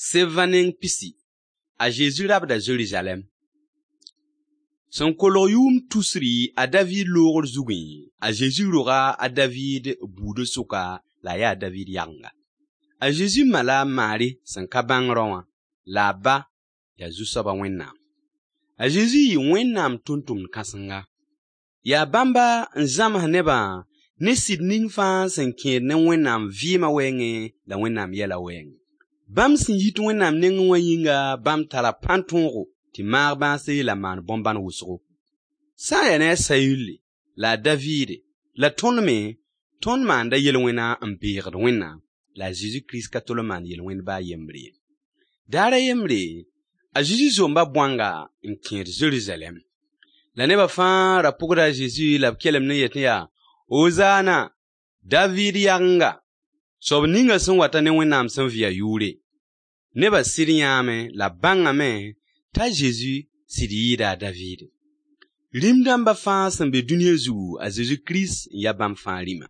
Sevã neng pisi, a Zezi rabda Zerizalɛɛm. Sẽn kolg yʋʋm tusri a Daviid loogr zugẽ, a Zezi roga a Daviid buudã sʋka la a yaa a Daviid yagenga. A Zezi ma la a Maari sẽn ka bãng rao wã, la a ba yaa Zu-soaba Wẽnnaam. A Zezi yɩ Wẽnnaam tʋmtʋmd kãsenga. Yaa bãmba n zãms nebã ne sɩd ning fãa sẽn kẽed ne Wẽnnaam vɩɩmã wɛɛngẽ la Wẽnnaam yɛla wɛɛngẽ. Bãmb sẽn yit Wẽnnaam nengẽ wã yĩnga, bãmb tara pãn-tõogo tɩ maag bãase la maan bõn-bãn wʋsgo. Sã n yaa ne a Sayuli la a Daviide la tõnd me, tõnd maanda yel-wẽna n beegd Wẽnnaam, la a Zezi Kirist ka tol n maan yel-wẽnd baa yembre ye. Daar a yembre, a Zezi zomba bõanga n kẽed Zerizalɛɛm. La nebã fãa ra pʋgda a Zezi la b kelemd n yetẽ yaa: Ozana, Daviid yagenga, soab ninga sẽn wata ne Wẽnnaam sẽn vɩ a yʋʋre. Nebã sɩd yãame la b bãngame t'a Zezi sɩd yɩɩda a Daviide. Rĩm dãmba fãa sẽn be dũniyã zugu, a Zezi Kirist n ya bãmb fãa rĩma.